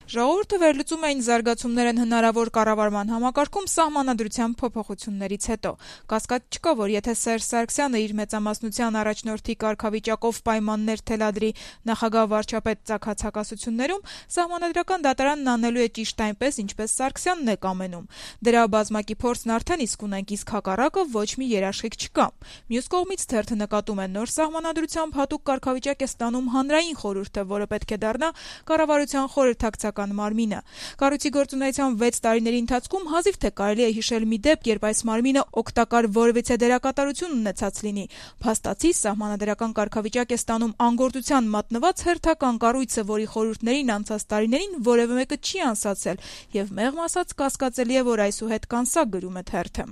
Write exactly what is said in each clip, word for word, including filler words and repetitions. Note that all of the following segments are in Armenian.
Ժողովուրդը վերլուծում էին զարգացումներ են հնարավոր կառավարման համակարգում սահմանադրության փոփոխություններից հետո։ Կասկած չկա, որ եթե Սերժ Սարգսյանը իր մեծամասնության առաջնորդի կարգավիճակով պայմաններ թելադրի նախագահ վարչապետ ծագած հակասություններում, սահմանադրական դատարանն անելու է ճիշտ այնպես, ինչպես Սարգսյանն է կամենում։ Դրա բազմակի փորձն արդեն իսկ ունենք, իսկ հակառակը ոչ մի երաշխիք չկա։ Մյուս կողմից թերթը նկատում է նոր սահմանադրությամբ հատուկ կարգավիճակ է ստանում հանրային խորհուրդը, որը պետք է դառնա կառավարության խորհրդակցական մարմինը։ Կառույցի գործունեության վեց տարիների ընթացքում հազիվ թե կարելի է հիշել մի դեպք, երբ այս մարմինը օգտակար որևիցե դերակատարություն ունեցած լինի։ Փաստացի սահմանադրական կարգավիճակ է ստանում անգործության մատնված հերթական կառույցը, որի խորհուրդներին անցած տարիներին որևէ մեկը չի անսացել, եւ մեղմ ասած կասկածելի է, որ այսուհետ կանսա, գրում է թերթը։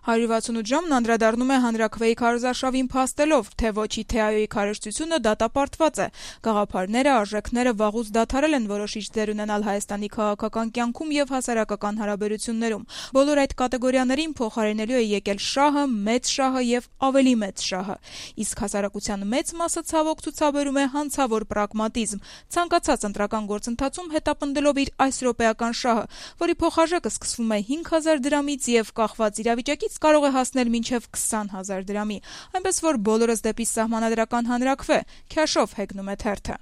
հարյուր վաթսունութ ժամն անդրադառնում է հանրաքվեի քարոզարշավին փաստելով, թե ոչի թե այոյի քարոզչությունը դատապարտված է։ Գաղափարները, արժեքները վաղուց դադարել են որոշիչ դեր ունենալ Հայաստանի քաղաքական կյանքում եւ հասարակական հարաբերություններում։ Բոլոր այդ կատեգորիաներին փոխարինելու է եկել շահը, մեծ շահը եւ ավելի մեծ շահը։ Իսկ հասարակության մեծ մասը ցավոք ցուցաբերում է հանցավոր պրագմատիզմ, ցանկացած ընտրական գործընթացում հետապնդելով իր այս րոպեական շահը, որի փոխարժեքը սկսվում է հինգ հազար դրամից եւ կախված իրավիճակից կարող է հասնել մինչև քսան հազար դրամի, այնպես որ բոլորս դեպի սահմանադրական հանրաքվե, քյաշով հեգնում է թերթը։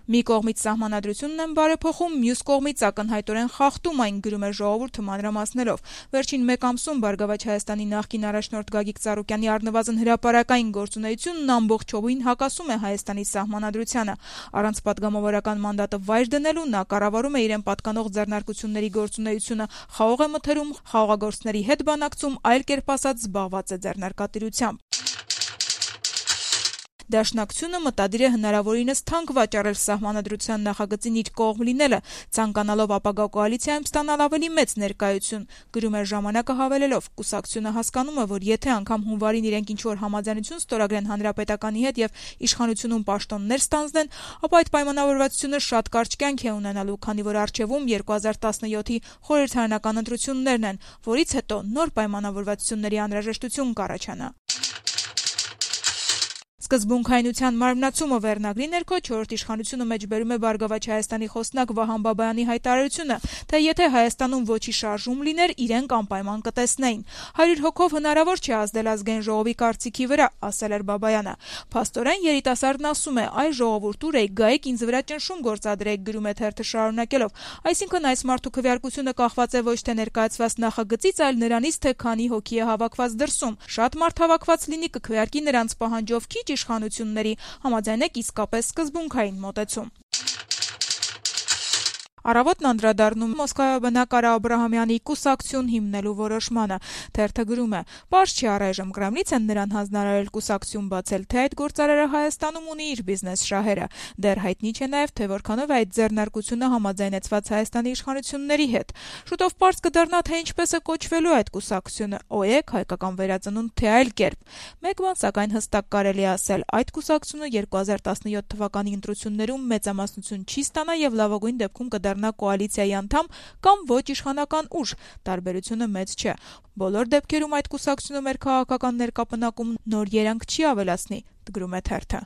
Մի կողմից սահմանադրությունն են բարեփոխում, մյուս կողմից ակնհայտորեն խախտում այն, գրում է Ժողովուրդը մանրամասներով։ Վերջին մեկ ամսում Բարգավաճ Հայաստանի նախկին առաջնորդ Գագիկ Ծառուկյանի առնվազն հրապարակային գործունեությունն ամբողջովին հակասում է Հայաստանի սահմանադրությանը։ Առանց պատգամավորական մանդատը վայր դնելու նա կառավարում է իրեն պատկանող ձեռնարկությունների գործունեությունը, խաղող է մթերում, խաղաղագործների հետ բանակցում, այլ կերպ ասած զբաղված է ձեռնարկատիրությամբ։ Դաշնակցությունը մտադիր է հնարավորինս թանկ վաճառել սահմանադրության նախագծին իր կողմ լինելը, ցանկանալով ապագա կոալիցիայում ստանալ ավելի մեծ ներկայություն, գրում է Ժամանակը հավելելով. կուսակցությունը հասկանում է, որ եթե անգամ հունվարին իրենք ինչ-որ համաձայնություն ստորագրեն Հանրապետականի հետ եւ իշխանությունում պաշտոններ ստանձնեն, ապա այդ պայմանավորվածությունը շատ կարճ կյանք է ունենալու, քանի որ առջևում երկու հազար տասնյոթի խորհրդարանական ընտրություններն են, որից հետո նոր պայմանավորվածությունների անհրաժեշտություն կառաջանա։ Սկզբունքայնության մարմնացումը վերնագրի ներքո չորրորդ իշխանությունը մեջբերում է Բարգավաճ Հայաստանի խոսնակ Վահան Բաբայանի հայտարարությունը, թե եթե Հայաստանում ոչի շարժում լիներ, իրենք անպայման կտեսնեին։ հարյուր հոգով հնարավոր չէ ազդել ազգային ժողովի կարծիքի վրա, ասել էր Բաբայանը։ Փաստորեն երիտասարդն ասում է՝ այ ժողովուրդ ուր եք, գայեք ինձ վրա ճնշում գործադրեք, գրում է թերթը շարունակելով։ Այսինքն այս մարդու քվեարկությունը կախված է ոչ թե ներկայացված նախագծից, այլ նրանից, թե քանի հոգի է հավաքված դրսում։ Շատ մարդ հավաքված լինի կքվեարկի նրանց պահանջով քիչ իշխանությունների, համաձայնեք իսկապես սկզբունքային մոտեցում։ Առավոտն անդրադառնում Մոսկվայում բնակարար Աբրահամյանի կուսակցություն հիմնելու որոշմանը։ Թերթը գրում է. «Պարզ չի առայժմ Կրեմլից են նրան հանձնարարել կուսակցություն բացել, թե այդ գործարարը Հայաստանում ունի իր բիզնես շահերը։ Դեռ հայտնի չէ նաև, թե որքանով է այդ ձեռնարկությունը համաձայնեցված Հայաստանի իշխանությունների հետ։ Շուտով պարզ կդառնա, թե ինչպես է կոչվելու այդ կուսակցությունը՝ ՕԵԿ, հայկական վերածնունդ, թե այլ կերպ։ Մեկ բան սակայն հստակ կարելի է ասել՝ այդ կուսակցությունը երկու հազար տասնյոթ թվականի ընտրություններում մեծամասնություն չի ստանա եւ լավագույն դեպքում կդառնա կոալիցիայի անդամ կամ ոչ իշխանական ուժ, տարբերությունը մեծ չէ։ Բոլոր դեպքերում այդ կուսակցությունը մեր քաղաքական ներկապնակում նոր երանգ չի ավելացնի», գրում է թերթը։